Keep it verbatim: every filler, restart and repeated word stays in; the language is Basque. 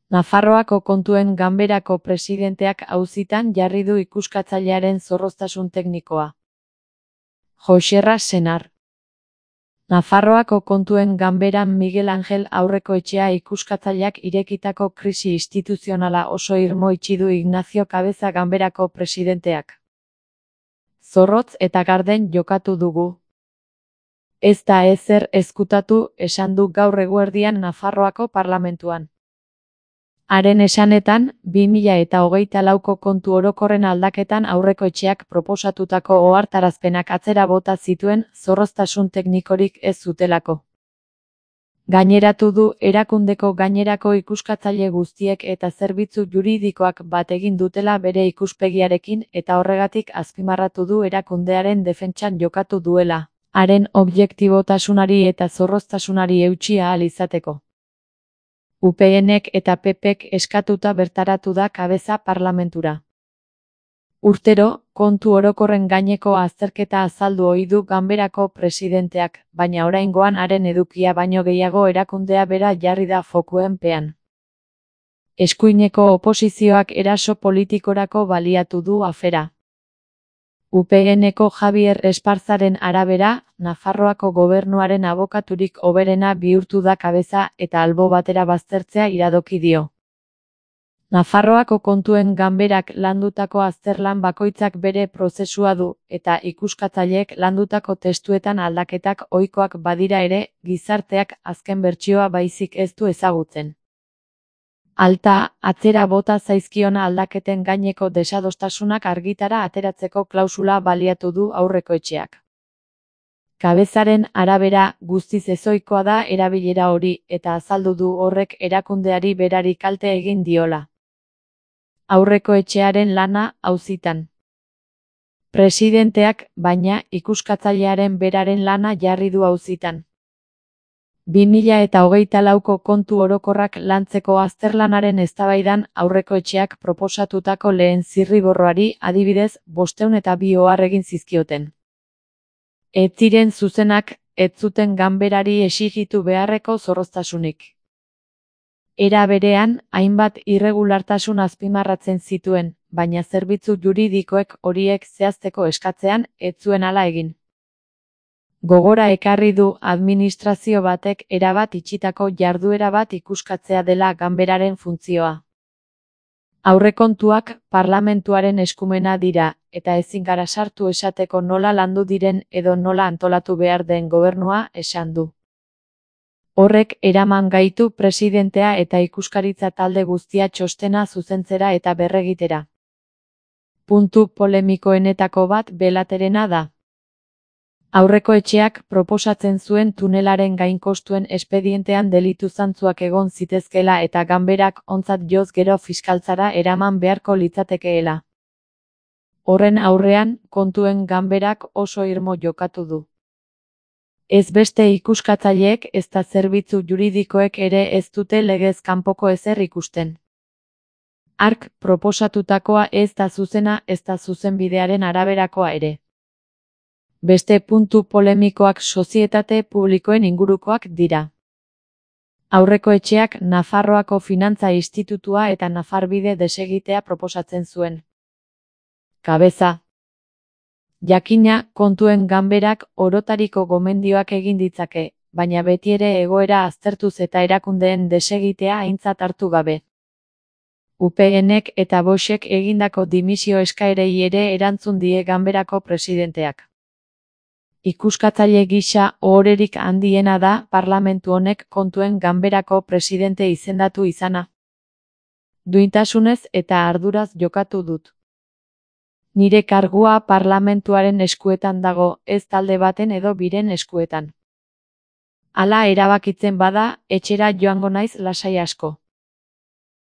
Nafarroako Kontuen Ganberako presidenteak auzitan jarri du ikuskatzailearen zorroztasun teknikoa. Joxerra Senar. Nafarroako Kontuen Ganberan Miguel Angel Aurrekoetxea ikuskatzaileak irekitako krisi instituzionala oso irmo itxi du Ignacio Cabeza Ganberako presidenteak. Zorrotz eta garden jokatu dugu. Ez da ezer ezkutatu, esan du gaur eguerdian Nafarroako parlamentuan. Haren esanetan, bi mila eta hogeita lauko kontu orokorren aldaketan Aurrekoetxeak proposatutako ohartarazpenak atzera bota zituen zorroztasun teknikorik ez zutelako. Gaineratu du erakundeko gainerako ikuskatzaile guztiek eta zerbitzu juridikoak bat egin dutela bere ikuspegiarekin eta horregatik azpimarratu du erakundearen defentsan jokatu duela, haren objektibotasunari eta zorroztasunari eutsi ahal izateko. U PNek eta P Pek eskatuta bertaratu da Cabeza parlamentura. Urtero, kontu orokorren gaineko azterketa azaldu ohi du Ganberako presidenteak, baina oraingoan haren edukia baino gehiago erakundea bera jarri da fokuen pean. Eskuineko oposizioak eraso politikorako baliatu du afera. U P Neko Javier Esparzaren arabera, Nafarroako gobernuaren abokaturik hoberena bihurtu da Cabeza eta albo batera baztertzea iradoki dio. Nafarroako Kontuen Ganberak landutako azterlan bakoitzak bere prozesua du, eta ikuskatzaileek landutako testuetan aldaketak ohikoak badira ere, gizarteak azken bertsioa baizik ez du ezagutzen. Alta, atzera bota zaizkion aldaketen gaineko desadostasunak argitara ateratzeko klausula baliatu du Aurrekoetxeak. Cabezaren arabera, guztiz ezohikoa da erabilera hori, eta azaldu du horrek erakundeari berari kalte egin diola. Aurrekoetxearen lana auzitan. Presidenteak, baina, ikuskatzailearen beraren lana jarri du auzitan. bi mila eta hogeita lauko kontu orokorrak lantzeko azterlanaren eztabaidan Aurrekoetxeak proposatutako lehen zirriborroari adibidez bostehun eta bi ohar egin zizkioten. Ez ziren zuzenak, ez zuten Ganberari exijitu beharreko zorroztasunik. Era berean, hainbat irregulartasun azpimarratzen zituen, baina zerbitzu juridikoek horiek zehazteko eskatzean ez zuen hala egin. Gogora ekarri du administrazio batek erabat itxitako jarduera bat ikuskatzea dela Ganberaren funtzioa. Aurrekontuak parlamentuaren eskumena dira, eta ezin gara sartu esateko nola landu diren edo nola antolatu behar den gobernua esan du. Horrek eraman gaitu presidentea eta ikuskaritza talde guztia txostena zuzentzera eta berregitera. Puntu polemikoenetako bat Belaterena da. Aurrekoetxeak proposatzen zuen tunelaren gainkostuen espedientean delitu zantzuak egon zitezkeela eta Ganberak ontzat joz gero fiskaltzara eraman beharko litzatekeela. Horren aurrean, Kontuen Ganberak oso irmo jokatu du. Ez beste ikuskatzaileek ezta zerbitzu juridikoek ere ez dute legez kanpoko ezer ikusten. Hark proposatutakoa ez da zuzena ez da zuzenbidearen araberakoa ere. Beste puntu polemikoak sozietate publikoen ingurukoak dira. Aurrekoetxeak Nafarroako Finantza Institutua eta Nafarbide desegitea proposatzen zuen. Cabeza. Jakina, Kontuen Ganberak orotariko gomendioak egin ditzake, baina betiere egoera aztertuz eta erakundeen desegitea aintzat hartu gabe. U P Nek eta Boxek egindako dimisio eskaerei ere erantzun die Ganberako presidenteak. Ikuskatzaile gisa ohorerik handiena da parlamentu honek Kontuen Ganberako presidente izendatu izana. Duintasunez eta arduraz jokatu dut. Nire kargua parlamentuaren eskuetan dago, ez talde baten edo biren eskuetan. Hala erabakitzen bada, etxera joango naiz lasai asko.